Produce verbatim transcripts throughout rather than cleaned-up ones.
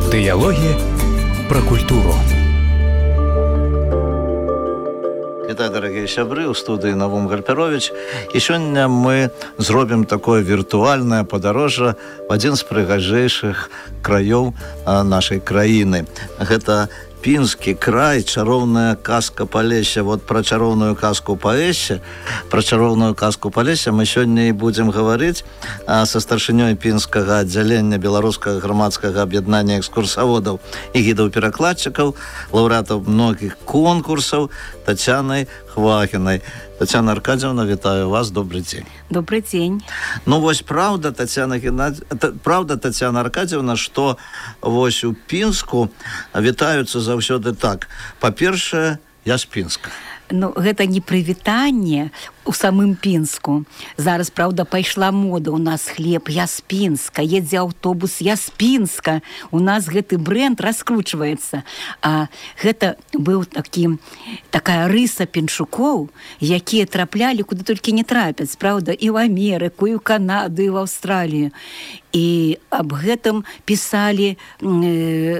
Дыялогі пра культуру. Итак, дорогие сябры, у студии Навум Гальперович. И сегодня мы зробим такое виртуальное подорожжа в один из прыгажейших краев нашей краины. Это Пінскі край, чароўная казка Палесся. Вот про чароўную казку Палесся, про чароўную казку Палесся мы сёння і будзем гаварыць са старшынёй пінскага аддзялення беларускага грамадскага аб'яднання экскурсаводаў і гідаў-перакладчыкаў, лаўрэатаў многіх конкурсаў Тацянай Хвахінай. Тацяна Аркадьевна, вітаю вас, добрый день. Добрый день. Ну, вось правда, Тацяна Геннадь... правда, Тацяна Аркадьевна, што вось у Пінску вітаюцца заўсёды так. Па-першае, я з Пінска. Ну, гэта не прывітанне у самым Пінску. Зараз, правда, пайшла мода. У нас хлеб, я з Пінска. Едзе аўтобус, я з Пінска. У нас гэты бренд раскручваецца. А гэта быў такі, такая рыса пінчукоў, якія траплялі, куды толькі не трапяць, правда, і ў Амерыку, і ў Канаду, і ў Аўстралію. І аб гэтым пісалі э,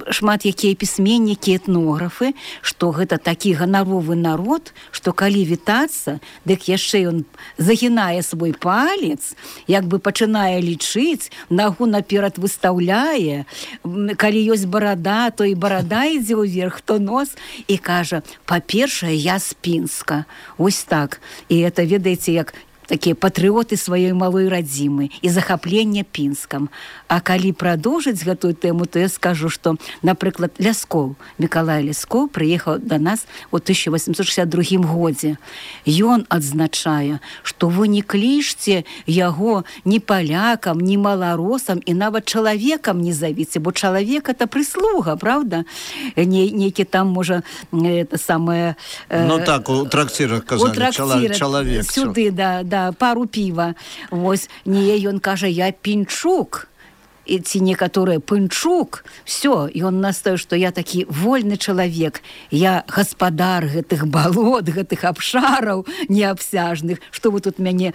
шмат якія пісьменнікі, этнографы, што гэта такі ганаровы народ, што калі вітацца, дык яшчэ ён загінае свой палец, як бы пачынае лічыць, нагу наперад выстаўляе, калі ёсць барада, то і барада ідзе ўверх, то нос, і кажа, па-першае, я з Пінска. Ось так. І это, ведаеце, як такія патрыоты сваёй малой радзімы і захапленне Пінскам. А калі прадоўжыць гэтую тэму, то я скажу, што, напрыклад, Ляскоў, Мікалай Ляскоў прыехаў да нас у тысяча восемьсот шестьдесят другім годзе. Ён адзначае, што вы не клічце яго ні палякам, ні маларосам і нават чалавекам не завіце, бо чалавек это прыслуга, правда? Не, нейкі там, можа, это самае... Э, ну так, у трактирах казалі, трактирах, чалавек. Сюды, да, да, пару піва. Вось, не, ён кажа, я пінчук. І ці некаторыя пынчук, все, ён настаіў, што я такі вольны чалавек, я гаспадар гэтых балот, гэтых абшараў неабсяжных, што вы тут мяне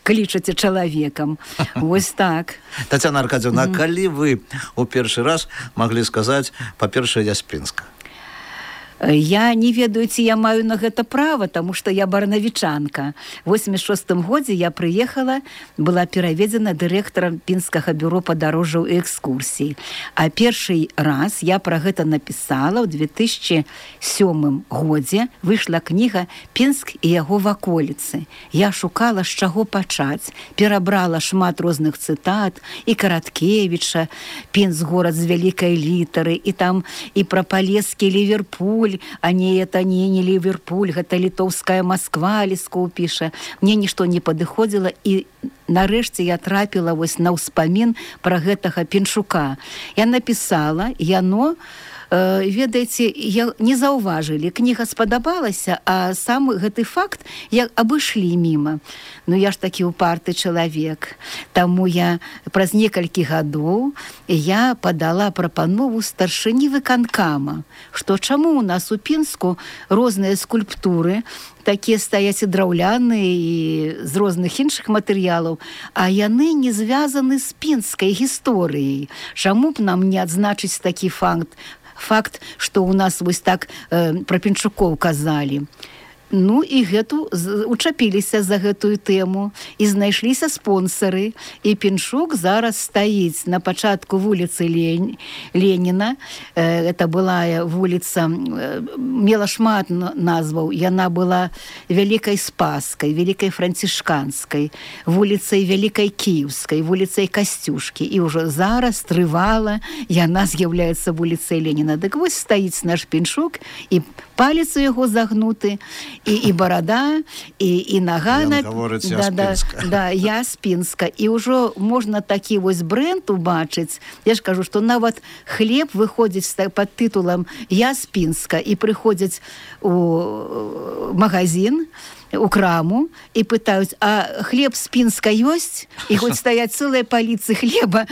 клічаце чалавекам. Вось так. Тацяна Аркадьевна, mm-hmm. а калі вы у першы раз маглі сказаць, па-першае, я з Пінска? Я не ведаю, ці я маю на гэта права, таму што я барнавічанка. У восемьдесят шостым годзе я прыехала, была пераведзена дырэктарам Пінскага бюро падарожжаў і экскурсій. А першы раз я пра гэта напісала ў две тысячи сёмым годзе. Выйшла кніга «Пінск і яго ваколіцы». Я шукала, з чаго пачаць. Перабрала шмат розных цытат, і Караткевіча, «Пінск горад з вялікай літары», і там і пра палескі Ліверпуль, а не это не, не Ливерпуль, гэта літоўская Москва, Лескоў піша. Мне нішто не падыходзіла, і нарэшце я трапіла вось на ўспамін пра гэтага Пінчука. Я напісала, яно, э, ведаеце, я не заўважылі, кніга спадабалася, а сам гэты факт я абышлі міма. Ну я ж такі упарты чалавек. Таму я праз некалькі гадоў я падала прапанову старшыні выканкама, што чаму у нас у Пінску розныя скульптуры, такія стаяць і драўляныя, і з розных іншых матэрыялаў, а яны не звязаны з пінскай гісторыяй. Чаму б нам не адзначыць такі факт, факт, што у нас вось так э, пра Пінчукоў казалі. Ну і гэту учапіліся за гэтую тэму, і знайшліся спонсары, і Пінчук зараз стаіць на пачатку вуліцы Лень... Леніна. Это была вуліца, мела шмат назваў, яна была Вялікай Спаскай, Вялікай Францішканскай, вуліцай Вялікай Кіеўскай, вуліцай Касцюшкі, і ўжо зараз трывала яна з'яўляецца вуліцай Леніна. Дык вось стаіць наш Пінчук, і палец у яго загнуты, і, і барада, і, і нага. Ён гаворыць, я да, з Пінска. Да, да, я з Пінска. І ўжо можна такі вось бренд убачыць. Я ж кажу, што нават хлеб выходзіць пад тытулам «Я з Пінска», і прыходзяць у магазин, у краму, і пытаюць, а хлеб з Пінска ёсць? І хоць стаяць цэлыя паліцы хлеба,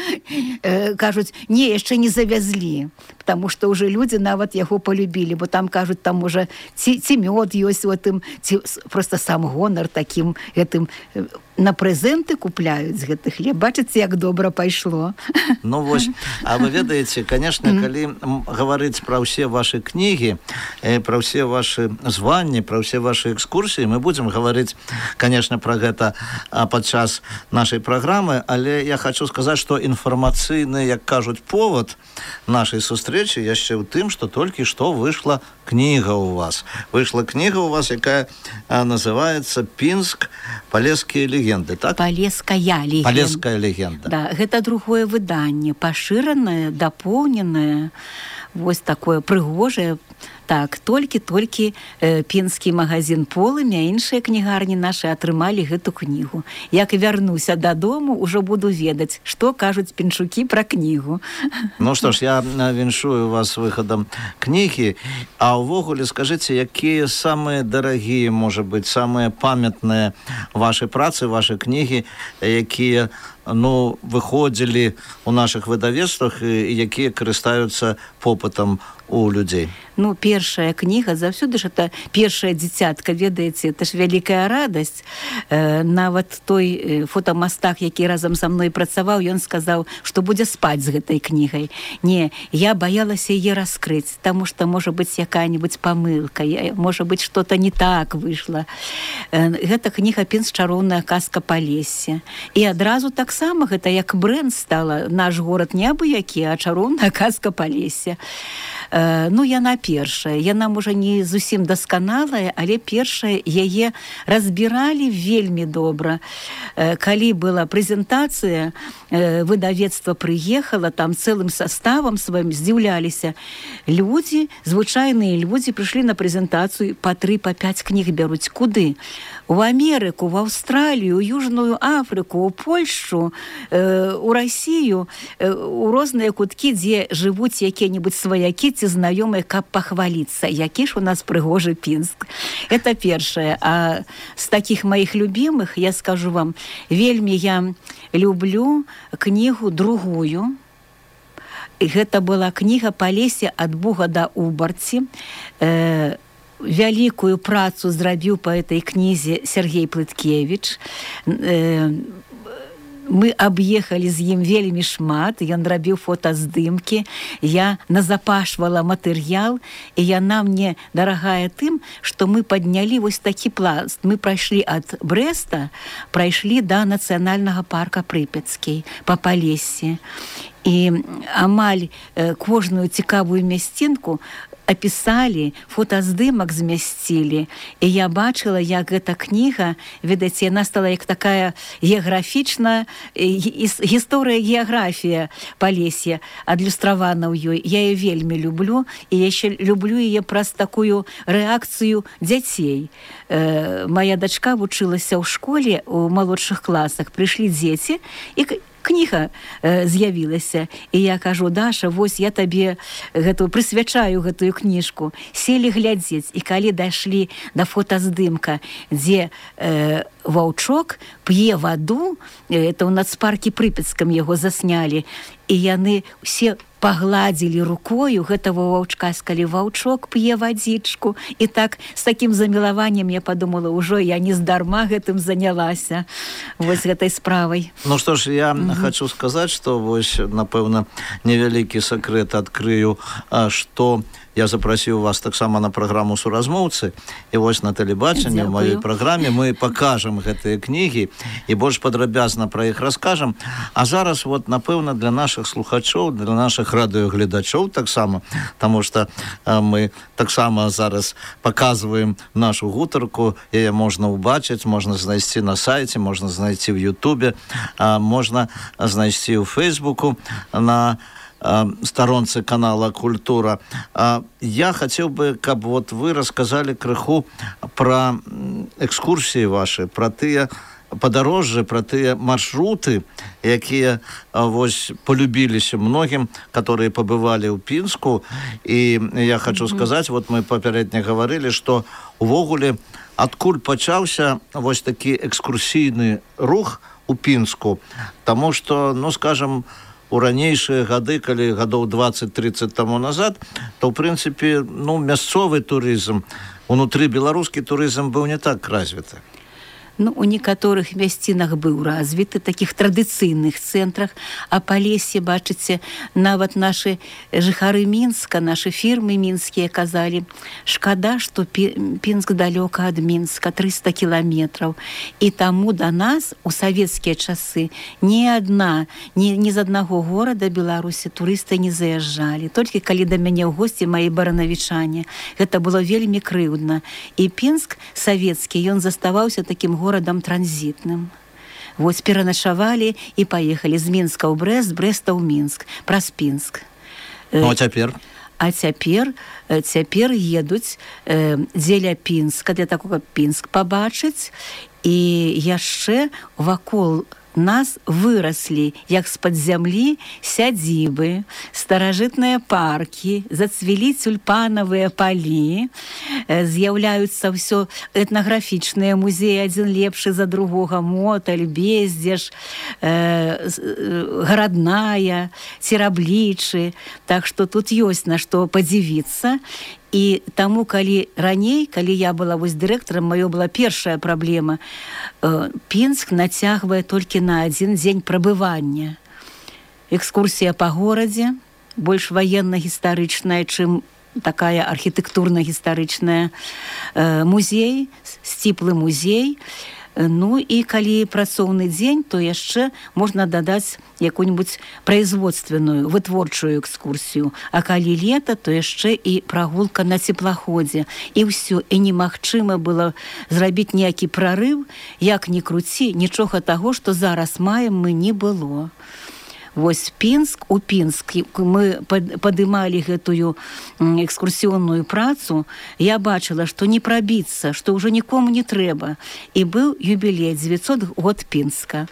э, кажуць, не, яшчэ не завязлі, потому што ўжо людзі нават яго полюбілі, бо там кажуць, там уже ці, ці мёд ёсць у гэтым, ці просто сам гонар такім гэтым на прэзенты купляюць гэты хлеб. Бачыце, як добра пайшло. Ну вось, а вы ведаеце, конечно, калі гаварыць пра ўсе вашы кнігі, пра ўсе вашы званні, пра ўсе вашы экскурсіі, мы будзем гаварыць, конечно, пра гэта падчас нашай праграмы, але я хочу сказаць, што інфармацыйны, як кажуць, повод нашай сустрэчы яшчэ ў тым, што толькі што выйшла кніга ў вас. Выйшла кніга ў вас, якая называецца «Пінск. Полесскія легенды», так? Полесская легенда. Полесская легенда. Да, гэта другое выданне, пашыранае, дапоўненае, вось такое прыгожае. Так, толькі-толькі э, пінскі магазин «Полымя», іншыя кнігарні нашы атрымалі гэту кнігу. Як вярнуся дадому, ужо буду ведаць, што кажуць пінчукі пра кнігу. Ну што ж, я віншую вас выхадам кнігі. А ўвогуле, скажыце, якія самыя дарагія, можа быць, самыя памятныя вашы працы, вашы кнігі, якія ну, выходзілі ў нашых выдавецтвах і якія карыстаюцца попытам у людзей? Ну, першая кніга, заўсёды ж это першая дзіцятка, ведаеце, это ж вялікая радасць. Э, нават той фотамастак, які разам са мной працаваў, ён сказаў, што будзе спаць з гэтай кнігай. Не, я баялася яе раскрыць, таму што можа быць якая-небудзь памылка, можа быць што-то не так выйшла. Э, гэта кніга «Пінск. Чароўная казка Полесся». І адразу таксама гэта як брэнд стала. Наш горад не абы-які, а чароўная казка Полесся. Э, ну, яна першая. Яна, можа, не зусім дасканалая, але першая яе разбіралі вельмі добра. Э, калі была прэзентацыя, э, выдавецтва прыехала, там цэлым составам сваім здзіўляліся. Людзі, звычайныя людзі прыйшлі на прэзентацыю, па тры, па пяць кніг бяруць. Куды? У Амерыку, в Аўстралію, у Южную Афрыку, у Польшу, э, у Расію, э, у розныя куткі, дзе жывуць якія-небудзь сваякі ці знаёмыя, каб пахваліцца, які ж у нас прыгожы Пінск. Это першае. А з такіх маіх любімых, я скажу вам, вельмі я люблю кнігу другую. Гэта была кніга «Полесся ад Буга да Убарці». Э, вялікую працу зрабіў па этой кнізе Сергей Плыткевіч. Э, мы аб'ехалі з ім вельмі шмат, ён рабіў фотаздымкі, я назапашвала матэрыял, і яна мне дарагая тым, што мы паднялі вось такі пласт. Мы прайшлі ад Брэста, прайшлі да нацыянальнага парка Прыпяцкі па Полессі. І амаль э, кожную цікавую мясцінку апісалі, фотаздымак змясцілі. І я бачыла, як гэта кніга, ведаеце, яна стала як такая геаграфічная гісторыя, геаграфія Полесся адлюстравана ў ёй. Я яе вельмі люблю, і яшчэ люблю яе праз такую рэакцыю дзяцей. Э, моя дачка вучылася ў школе, у малодшых класах. Прыйшлі дзеці, і кніга э, з'явілася. І я кажу: Даша, вось я табе гэту прысвячаю гэтую кніжку. Селі глядзець, і калі дайшлі да фотаздымка, дзе э, ваўчок п'е ваду, э, это ў нацпаркі Прыпяцкам яго заснялі, і яны ўсе пагладзілі рукою гэтага ваўчка, скалі ваўчок п'е вадзічку. І так, з такім замілаваннем я подумала, ўжо я не здарма гэтым занялася, вось гэтай справай. Ну што ж, я mm-hmm. хочу сказаць, што вось, напэўна, невялікі сакрэт адкрыю, што я запрасіў вас таксама на праграму «Суразмоўцы», і вось на тэлебачанні ў маёй праграме мы пакажам гэтыя кнігі і больш падрабязна пра іх раскажам. А зараз, вот, напэўна, для нашых слухачоў, для нашых радыёгледачоў таксама, таму што а, мы таксама зараз паказваем нашу гутарку, яе можна ўбачыць, можна знайсці на сайце, можна знайсці ў Ютубе, а, можна знайсці ў Фейсбуку, на сторонцы канала «Культура». Я хотел бы, каб вот вы рассказали крыху про экскурсии ваши, про тыя падарожжы, про тыя маршруты, якія вось полюбіліся многім, которые побывали ў Пінску. І я хочу mm-hmm. сказаць, вот мы папярэдне гаварылі, што увогуле адкуль пачаўся вось такі экскурсійны рух у Пінску, таму што, ну, скажем, у ранейшыя гады, калі гадоў дваццаць-трыццаць таму назад, то, ў прынцыпе, ну, мясцовы турызм, унутры беларускі турызм быў не так развіты. Ну, у некаторых мясцінах быў развіты, такіх традыцыйных цэнтрах, а па лесе, бачыце, нават нашы жыхары Мінска, нашы фірмы мінскія казалі, шкада, што Пінск далёка ад Мінска, трыста кіламетраў. І таму да нас у савецкія часы ні адна, ні, ні з аднаго горада Беларусі турысты не заязджалі. Толькі калі да мяне ў госці маі баранавічане. Гэта было вельмі крыўдна. І Пінск савецкі, ён заставаўся такім горадам горадам транзітным. Вось пераначавалі і паехалі з Мінска ў Брэст, з Брэста ў Мінск, праз Пінск. Ну, а цяпер? А цяпер, цяпер едуць э, дзеля Пінска, для такога Пінск пабачыць, і яшчэ вакол нас выраслі, як з-пад зямлі, сядзібы, старажытныя паркі, зацвілі тюльпанавыя палі, з'яўляюцца ўсё этнаграфічныя музеі, адзін лепшы за другога, Моталь, Бездзеж, э, гарадная, Цераблічы. Так што тут ёсць на што падзівіцца. І таму, калі раней, калі я была вось дырэктарам, маё была першая праблема. Э, Пінск нацягвае толькі на адзін дзень прабывання. Экскурсія па горадзе, больш ваенна-гістарычная, чым такая архітэктурна-гістарычная. Э, музей, сціплы музей. Ну і калі працоўны дзень, то яшчэ можна дадаць якую-нибудь производственную, вытворчую экскурсію. А калі лета, то яшчэ і прагулка на цеплаходзе. І ўсё, і немагчыма было зрабіць ніякі прарыў, як ні круці, нічога таго, што зараз маем, мы не было. Вось Пінск, у Пінск мы падымалі гэтую экскурсіонную працу, я бачыла, што не прабіцца, што ўжо нікому не трэба. І быў юбілей, дзевяцьсот год Пінска.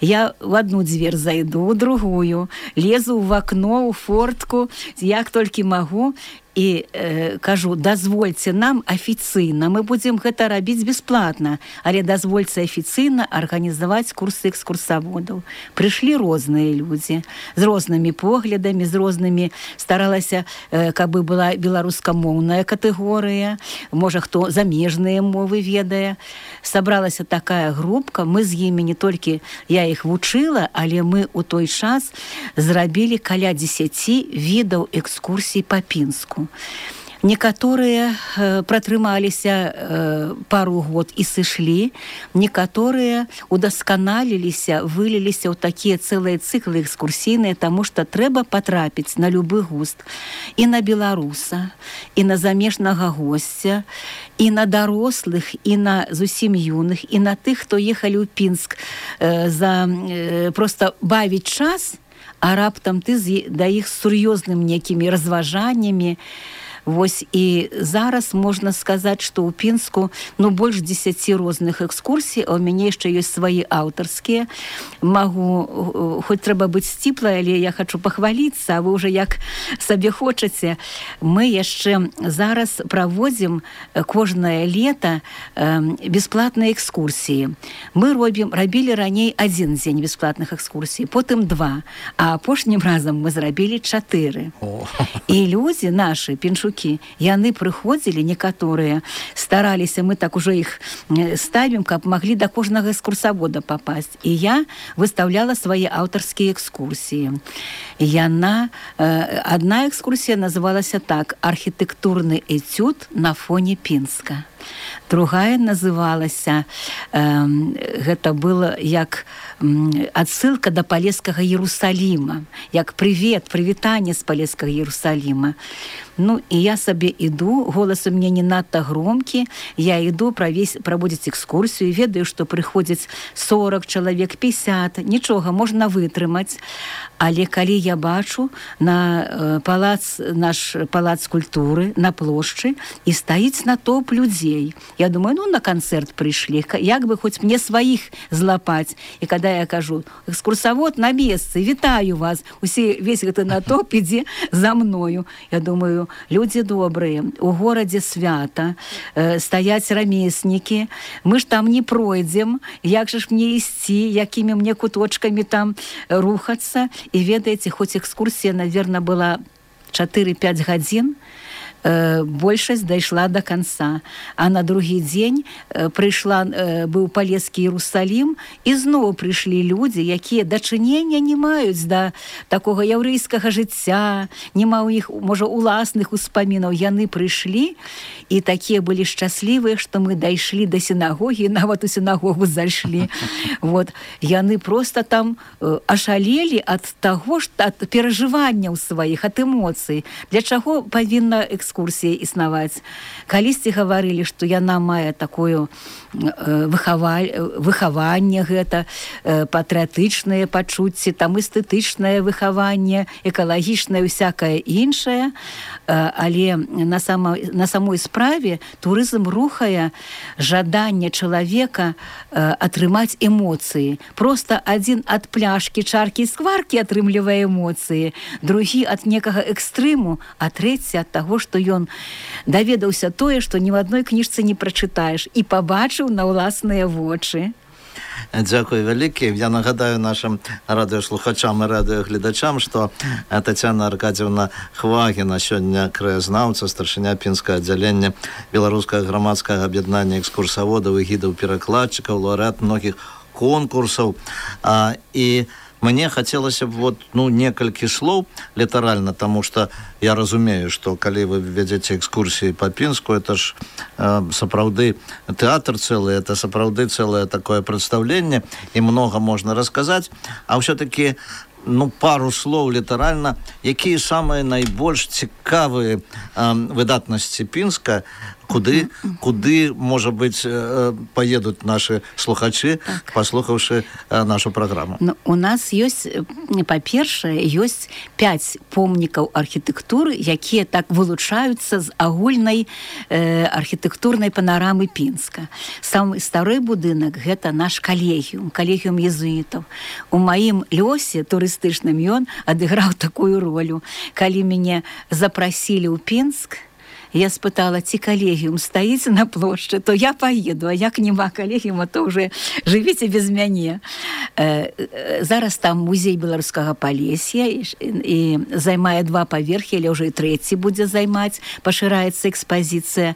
Я в одну дзвер зайду, у другую, лезу в акно, у фортку, як толькі магу, і э, кажу, дазвольце нам афіцыйна, мы будзем гэта рабіць бясплатна, але дазвольце афіцыйна арганізаваць курсы экскурсаводаў. Прыйшлі розныя людзі, з рознымі поглядамі, з рознымі, старалася, э, каб была беларускамоўная катэгорыя, можа, хто замежныя мовы ведае. Сабралася такая групка, мы з імі не толькі, я іх вучыла, але мы ў той час зрабілі каля дзесяці відаў экскурсій па Пінску. Некаторыя э, пратрымаліся э, пару год і сышлі, некаторыя удасканаліліся, выліліся ў такія цэлыя цыклы экскурсійныя, таму што трэба патрапіць на любы густ. І на беларуса, і на замежнага госця, і на дарослых, і на зусім юных, і на тых, хто ехалі ў Пінск э, за э, проста бавіць час, а раптам ты да іх з сур'ёзным некімі разважаннямі. Вось і зараз можна сказаць, што ў Пінску ну, больш дзесяці розных экскурсій, а ў мяне яшчэ ёсць свае аўтарскія. Магу, хоць трэба быць сціплай, але я хачу пахваліцца, а вы ўжо як сабе хочаце. Мы яшчэ зараз праводзім кожнае лета э, бясплатныя экскурсіі. Мы робім, рабілі раней адзін дзень бясплатных экскурсій, потым два, а апошнім разам мы зрабілі чатыры. І людзі нашы, пінчукі, яны прыходзілі, некаторыя стараліся, мы так ужо іх ставім, каб маглі да кожнага экскурсавода папасць. І я выстаўляла свае аўтарскія экскурсіі. Яна, адна экскурсія называлася так: архітэктурны этюд на фоне Пінска. Другая называлася, э, гэта было як э, адсылка да Палескага Иерусалима, як привет, прывітанне з Палескага Иерусалима. Ну, і я сабе іду, голас у мяне не надта громкі, я іду праводзіць экскурсію, ведаю, што прыходзяць сорок чалавек, пятьдесят, нічога, можна вытрымаць. Але калі я бачу на э, палац, наш палац культуры, на плошчы, і стаіць натоўп людзей, я думаю, ну, на канцэрт прыйшлі, як бы хоць мне сваіх злапаць. І када я кажу, экскурсавод на месцы, вітаю вас, усе, весь гэты натоўп ідзе за мною. Я думаю, людзі добрыя, у горадзе свята, э, стаяць рамеснікі, мы ж там не пройдзем, як же ж мне ісці, якімі мне куточкамі там рухацца. І ведаеце, хоць экскурсія, наверное, была чатыры-пяць гадзін, э, большасць дайшла до конца. А на другі дзень э, прыйшла, э, быў палескі Іерусалім, і зноў прыйшлі людзі, якія дачынення не маюць да такога яўрэйскага жыцця, нема ў іх, можа, уласных успамінаў. Яны прыйшлі, і такія былі шчаслівыя, што мы дайшлі да сінагогі, нават у сінагогу зайшлі. Вот. Яны просто там э, ашалелі ад таго, што ад перажыванняў сваіх, ад эмоцый. Для чаго павінна экскурсія існаваць? Калісьці гаварылі, што яна мае такое э, выхаваль... выхаванне гэта, э, патрыятычнае пачуцці, там эстэтычнае выхаванне, экалагічнае, всякае іншае, э, але на, само... на самой справе турызм рухае жаданне чалавека э, атрымаць эмоцыі. Просто адзін ад пляшкі, чаркі і скваркі атрымлівае эмоцыі, другі ад некага экстрэму, а трэці ад таго, што ён даведаўся тое, што ні в адной кніжцы не прачытаеш, і пабачыў на ўласныя вочы. Дзякуй вялікі. Я нагадаю нашим радыёслухачам і радыёгледачам, што Тацяна Аркадзіўна Хвагіна, сёння краязнаўца, старшыня пінскага аддзялення беларускага грамадскага аб'яднання экскурсаводаў і гідаў-перакладчыкаў, лаўрэат многіх конкурсаў. А, і мне хацелася б вот, ну, некалькі слоў літаральна, таму што я разумею, што калі вы вядзеце экскурсіі па Пінску, это ж э, сапраўды тэатр цэлы, это сапраўды цэлае такое прадстаўленне, і многа можна расказаць, а ўсё-такі ну, пару слоў літаральна, якія самыя найбольш цікавыя э, выдатнасці Пінска, куды, куды, можа быць, поедуць нашы слухачы, так, паслухаўшы нашу праграму? Ну, у нас ёсць, па-першае, ёсць пяць помнікаў архітэктуры, якія так вылучаюцца з агульнай э, архітэктурнай панарамы Пінска. Самы стары будынак — гэта наш калегіум, калегіум езуітаў. У маім лёсе турыстычным ён адыграў такую ролю. Калі мяне запрасілі ў Пінск, я спытала, ці калегіум стаіць на плошчы, то я поеду, а як нема калегіума, то уже жывіце без мяне. Э, зараз там музей беларускага Палесья і, і займае два паверхі, але ўжо і трэці будзе займаць, пашыраецца экспазіцыя.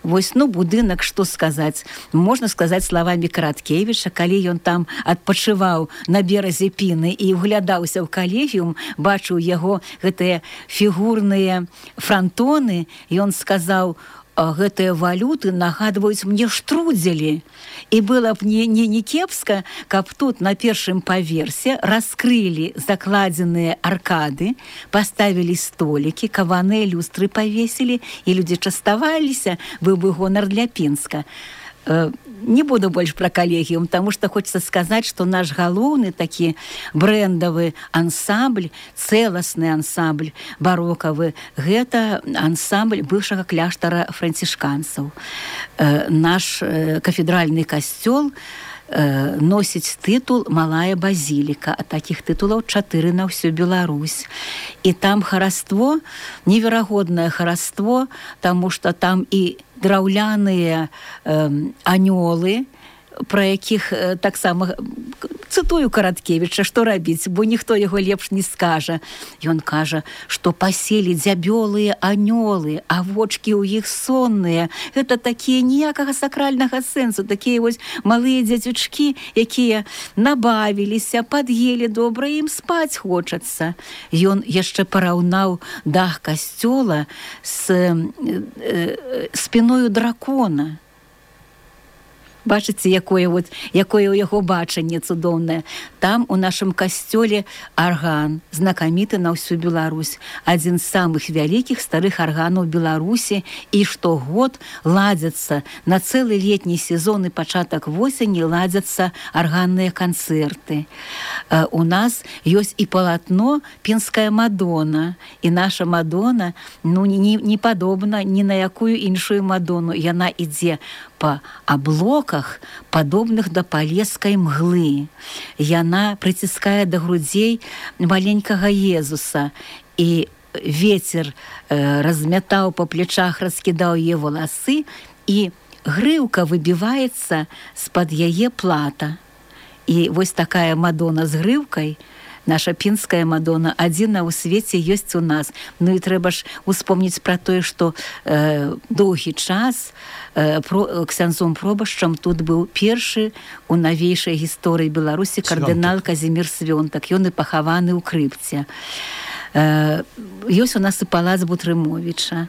Вось, ну, будынак, што сказаць? Можна сказаць словамі Караткевіча, калі ён там адпачываў на беразе Піны і углядаўся ў калегіум, бачыў яго гэтыя фігурныя франтоны, ён сказаў, гэтыя валюты нагадваюць мне штрудзелі. І было б не, не, не кепска, каб тут на першым паверсе раскрылі закладзеныя аркады, паставілі столікі, каваныя люстры павесілі, і людзі частаваліся, быў бы гонар для Пінска. Не буду больш пра калегіум, таму што хочется сказаць, што наш галоўны такі брэндавы ансамбль, цэласны ансамбль барокавы, гэта ансамбль бывшага кляштара францішканцаў. Наш кафедральны касцёл носіць тытул «Малая базіліка», а такіх тытулаў чатыры на ўсю Беларусь. І там хараство, неверагоднае хараство, таму што там і драўляныя э, анёлы, пра якіх э, таксама цытую Караткевіча, што рабіць, бо ніхто яго лепш не скажа. Ён кажа, што паселі дзябёлыя анёлы, а вочкі ў іх сонныя. Гэта такія ніякага сакральнага сэнсу, такія вось малыя дзяцючкі, якія набавіліся, пад'елі добра, ім спаць хочацца. Ён яшчэ параўнаў дах касцёла з э, э, спіною дракона. Бачыце, якое, вот, якое ў яго бачанне цудоўнае. Там у нашым касцёле арган, знакаміты на ўсю Беларусь. Адзін з самых вялікіх старых арганаў Беларусі, і штогод ладзяцца на цэлы летні сезон і пачатак восені ладзяцца арганныя канцэрты. Э, у нас ёсць і палатно «Пінская Мадона», і наша Мадона, ну, не, не падобна ні на якую іншую Мадону. Яна ідзе па аблоках, падобных да палескай мглы. Яна прыціскае да грудзей маленькага Езуса, і ветер э, размятаў па плечах, раскідаў яе валасы, і грыўка выбіваецца з-пад яе плата. І вось такая Мадона з грыўкай, наша пінская Мадонна адзіна ў свеце ёсць у нас. Ну і трэба ж успомніць пра тое, што э, доўгі час э, про, ксяндзом пробашчам тут быў першы у навейшай гісторыі Беларусі кардынал Казімір Свёнтак. Ён і пахаваны ў крыпце. Э, ёсць у нас і палац Бутрымовіча.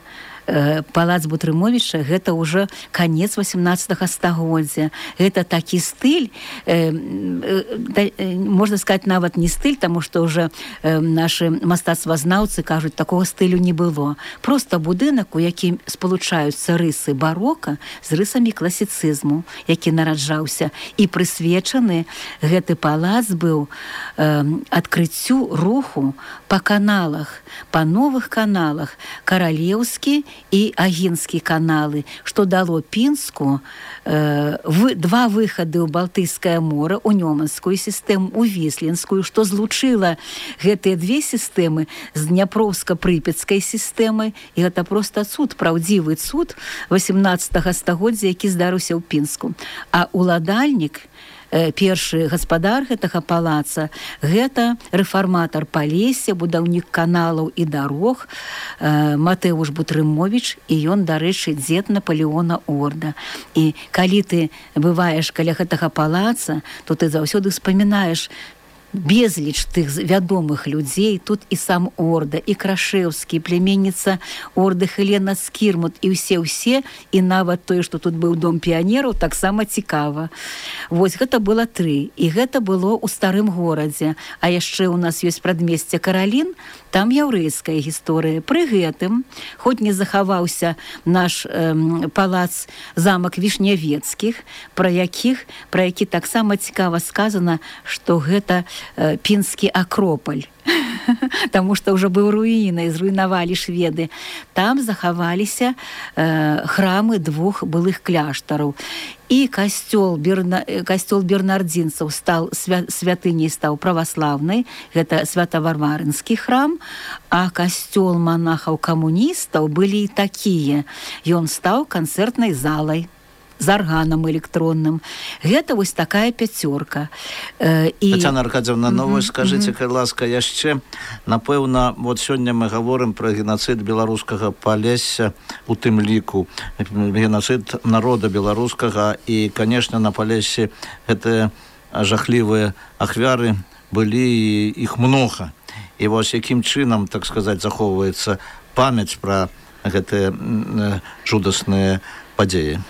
Палац Бутрымовіча гэта ўжо канец восемнадцатага стагоддзя. Гэта такі стыль, э, э, можна сказаць, нават не стыль, таму што ўжо э, нашы мастацтвазнаўцы кажуць, такога стылю не было. Проста будынак, у якім спалучаюцца рысы барока з рысамі класіцызму, які нараджаўся, і прысвечаны гэты палац быў э, адкрыццю руху па каналах, па новых каналах, каралеўскі і агінскі каналы, што дало Пінску э, в, два выхады ў Балтыйскае мора, у Нёманскую сістэму, у Віслінскую, што злучыла гэтыя две сістэмы з Дняпроўска-прыпецкай сістэмай. І гэта проста цуд, праўдзівы цуд восемнадцатага стагоддзя, які здарыўся ў Пінску. А уладальнік, першы гаспадар гэтага палаца, гэта рэфарматар Палесся, будаўнік каналаў і дарог, Матэуш Бутрымовіч, і ён, дарэчы, дзед Напалеона Орда. І калі ты бываеш каля гэтага палаца, то ты заўсёды вспамінаеш безліч тых вядомых людзей. Тут і сам Орда, і Крашэўскі, племенніца Орды Хелена Скірмут, і ўсе-ўсе, і нават тое, што тут быў дом піянераў, таксама цікава. Вось гэта было тры. І гэта было ў старым горадзе. А яшчэ ў нас ёсць прадмесце Каралін, там яўрэйская гісторыя. Пры гэтым, хоць не захаваўся наш э, палац, замак Вішнявецкіх, пра якіх, пра які таксама цікава сказана, што гэта э, пінскі акропаль. Таму што ўжо быў руінай, зруйнавалі шведы. Там захаваліся э, храмы двух былых кляштараў. І касцёл, Берна, касцёл бернардзінцаў стаў свя, святыняй стаў праваслаўнай, гэта свята-варварынскі храм, а касцёл манахаў-камуністаў былі і такія. Ён стаў канцэртнай залай з арганам электронным. Гэта вось такая пяцёрка. Э, і... Тацяна Аркадзевна, ну вось скажыце, калі ласка, яшчэ, напэўна, вот сёння мы гаворым пра генацыд беларускага Палесся, у тым ліку генацыд народа беларускага, і, канешне, на Палессі гэтыя жахлівыя ахвяры былі, іх многа. І вось якім чынам, так сказаць, захоўваецца памяць пра гэтыя жудасныя падзеі?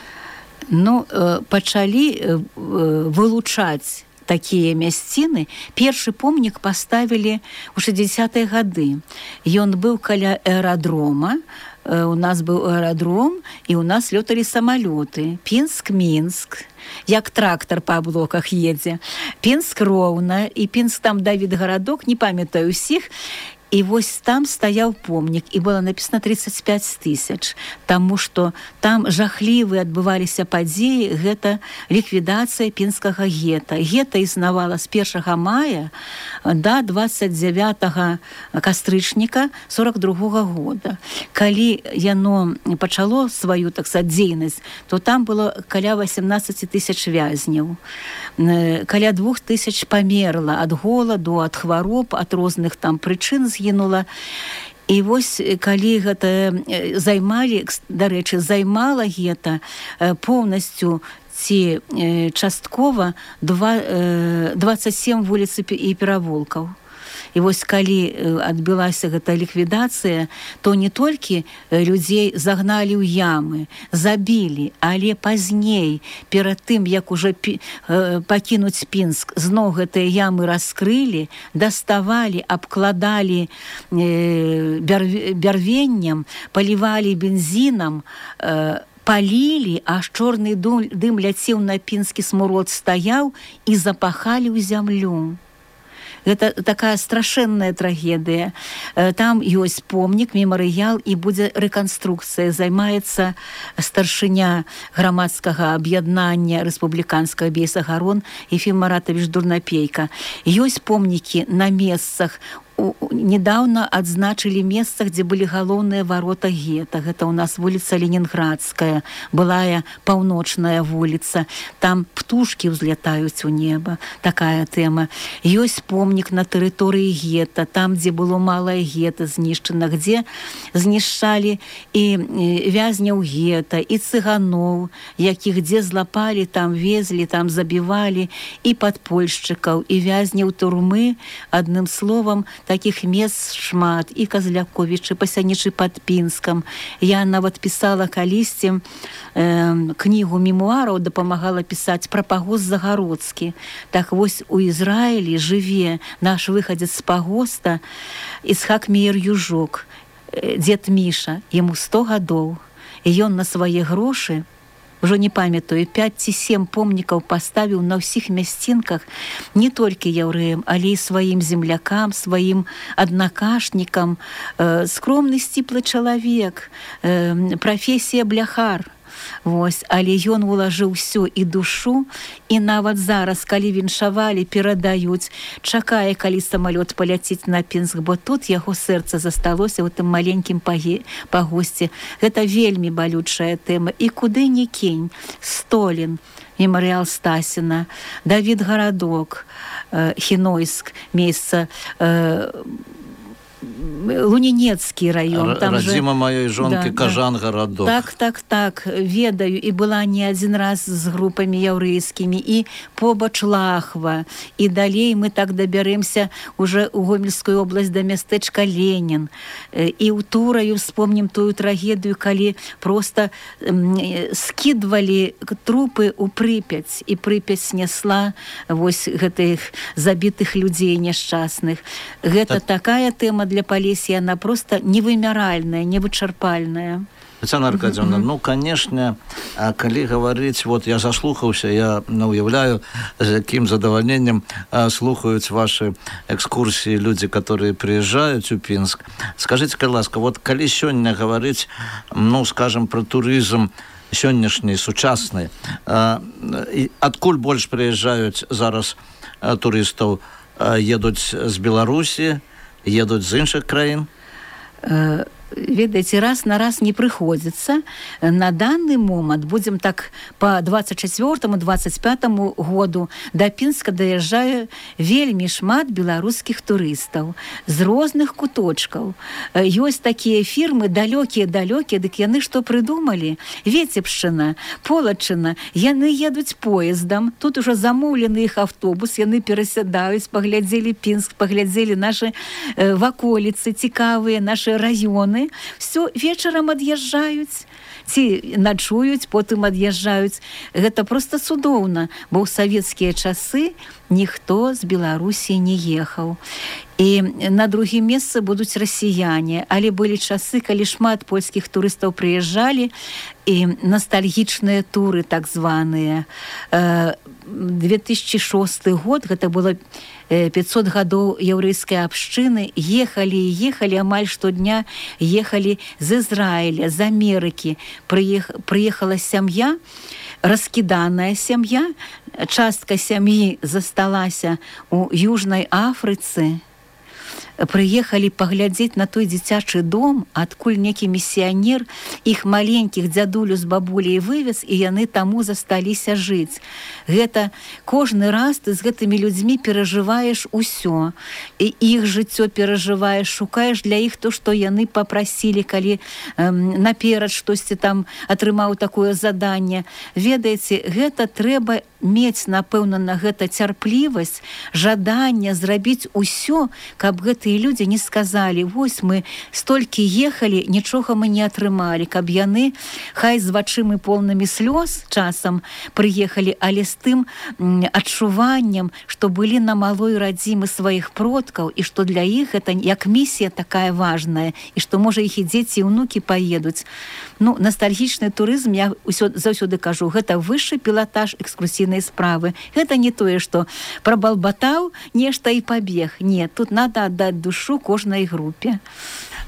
Ну, пачалі вылучаць такія мясціны. Першы помнік паставілі ў шэсцідзесятыя гады. Ён быў каля аэрадрома. У нас быў аэрадром, і ў нас лёталі самалёты. Пінск-Мінск, як трактар па блоках едзе. Пінск-Роўна, і Пінск там Давід гарадок, не памятаю ўсіх. І вось там стаяў помнік, і было напісана тридцать пять тысяч, таму што там жахлівыя адбываліся падзеі, гэта ліквідацыя пінскага гета. Гета існавала з першага мая да двадцать девятого кастрычніка сорок другога года. Калі яно пачало сваю, так сказаць, дзейнасць, то там было каля восемнадцать тысяч вязняў. Каля двух тысяч памерла ад голаду, ад хвароб, ад розных там прычын згінула. І вось калі гэта займалі, дарэчы, займала гета поўнасцю ці часткова двадцать семь вуліц і перавулкаў. І вось калі адбылася гэта ліквідацыя, то не толькі людзей загналі ў ямы, забілі, але пазней, перад тым, як ужо пакінуць Пінск, зноў гэтыя ямы раскрылі, даставалі, абкладалі бярвеннем, палівалі бензінам, палілі, аж чорны дым ляцеў на пінскі смурод, стаяў і запахалі ў зямлю. Гэта такая страшэнная трагедыя. Там ёсць помнік, мемарыял, і будзе рэканструкцыя. Займаецца старшыня грамадскага аб'яднання рэспубліканскага Бейсагарон Ефім Маратавіч Дурнапейка. Ёсць помнікі на месцах недавно адзначылі месца, дзе былі галоўныя варота гета. Гэта ў нас вуліца Ленінградская, былая паўночная вуліца. Там птушкі ўзлятаюць у неба. Такая тэма. Ёсць помнік на тэрыторыі гета, там, дзе было малае гета знішчана, дзе знішчалі і вязняў гета, і цыганоў, якіх дзе злапалі, там везлі, там забівалі, і падпольшчыкаў, і вязняў турмы. Адным словам, таких мест шмат, і Казляковічы, пасянічы пад Пінскам. Я нават пісала калісьці э, кнігу мемуараў, дапамагала пісаць пра пагост Загародскі. Так вось у Ізраілі жыве наш выхадзец з пагоста Ісхак Меер Южок, дзед Міша, яму сто гадоў. І ён на свае грошы, ўжо не памятаю, пяць ці сем помнікаў паставіў на ўсіх мясцінках не толькі яўрэям, але і сваім землякам, сваім аднакашнікам. Э, скромны сціплы чалавек, э, прафесія бляхар. Вось, але ён улажыў усё і душу, і нават зараз, калі віншавалі, перадаюць, чакае, калі самалёт паляціць на Пінск, бо тут яго сэрца засталося ў тым маленькім пагосці. Гэта вельмі балючая тэма. І куды ні кінь. Столін, мемарыял Стасіна, Давід Гарадок, э, Хінойск, месца э, Лунінецкі раён. Там радзіма же... маёй жонкі, да, Кажан, да. Гарадок. Так, так, так, ведаю. І была не адзін раз з групамі яўрэйскімі, і побач Лахва. І далей мы так дабярэмся уже ў Гомельскую область да мястэчка Ленін. І ў Тураю вспомнім тую трагедыю, калі просто скідвалі трупы ў Прыпяць, і Прыпяць снесла вось гэтых забітых людзей няшчасных. Гэта так... такая тэма для Полесья, она просто невымяральная, невычарпальная. Тетяна Аркадьевна, mm-hmm. ну, конечно, калі говорить, вот я заслухаўся, я ну, уяўляю, з якім задавальненнем слухаюць ваши экскурсии люди, которые приезжают у Пінск. Скажите, ласка, вот калі сёння говорить, ну, скажем, про туризм сённяшні, сучасны, адкуль больш приезжаюць зараз турыстаў? Едуць з Беларусі, едуць з іншых краін? Ведаеце, раз на раз не прыходзіцца. На данный момант, будзем так по двадцать четвёртому двадцать пятому году, да Пінска даязджае вельмі шмат беларускіх турыстаў з розных куточкаў. Ёсць такія фірмы далёкія-далёкія, дык яны што прыдумалі? Віцебшчына, Полачына, яны едуць поездам, тут ужо замоўлены іх автобус, яны перасядаюць, паглядзелі Пінск, паглядзелі нашы э, ваколіцы цікавыя, нашы раёны. Все, вечарам ад'язджаюць, ці начуюць, потым ад'язджаюць. Гэта проста цудоўна, бо ў савецкія часы ніхто з Беларусі не ехаў. І на другім месцы будуць расіяне, але былі часы, калі шмат польскіх турыстаў прыязджалі, і ностальгічныя туры так званыя. две тысячи шосты год, гэта было пятьсот гадоў яўрэйскай абшчыны, ехалі і ехалі, амаль штодня ехалі з Ізраіля, з Амерыкі. Прыех... Прыехала сям'я, раскіданая сям'я, частка сям'і засталася у Южнай Афрыцы. Прыехалі паглядзець на той дзіцячы дом, адкуль некі місіянер іх маленькіх дзядулю з бабуляй вывез, і яны таму засталіся жыць. Гэта кожны раз ты з гэтымі людзьмі перажываеш усё. І іх жыццё перажываеш, шукаеш для іх то, што яны папрасілі, калі эм, наперад штосьці там атрымаў такое заданне. Ведаеце, гэта трэба мець, напэўна, на гэта цярплівасць, жаданне зрабіць усё, каб гэтыя людзі не сказалі: вось мы столькі ехалі, нічога мы не атрымалі, каб яны хай з вачымі поўнымі слёз часам прыехалі, але з тым адчуваннем, што былі на малой радзімы сваіх продкаў, і што для іх гэта як місія такая важная, і што, можа, іх і дзеці і ўнукі паедуць. Ну, ностальгічны турызм, я ўсё, заўсёды кажу, гэта вышшы пілатаж экскурсійнай справы. Гэта не тое, што прабалбатаў нешта і пабег. Не, тут надо аддаць душу кожнай групе.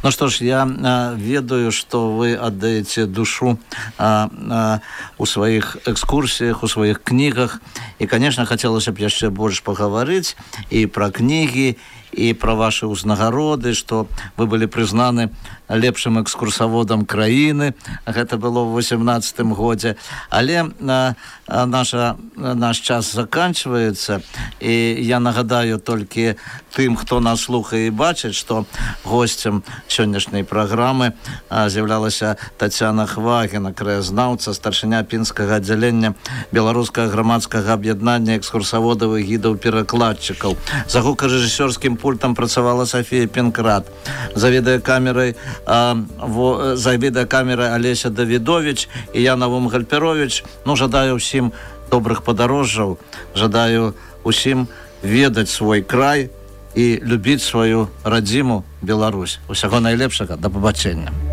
Ну что ж, я а, ведаю, что вы отдаете душу а, а, у своих экскурсиях, у своих книгах. И, конечно, хотелось бы еще больше поговорить и про книги, і пра вашы ўзнагароды, што вы былі прызнаны лепшым экскурсаводам краіны. Гэта было ў восемнаццатым годзе. Але а, а, наша, наш час заканчваецца, і я нагадаю толькі тым, хто нас слухае і бачыць, што госцем сённяшняй праграмы а, з'яўлялася Тацяна Хвагіна, краязнаўца, старшыня пінскага аддзялення беларускага грамадскага аб'яднання экскурсаводаў і гідаў-перакладчыкаў. За гукарэжысёрскім пультам працавала Сафія Пенкрат. За відэакамерай а, во, за відэакамерай Алеся Давідович і я, Навум Гальперович. Ну, жадаю ўсім добрых падарожжаў, жадаю ўсім ведаць свой край і любіць сваю радзіму Беларусь. Усяго найлепшага, да пабачэння.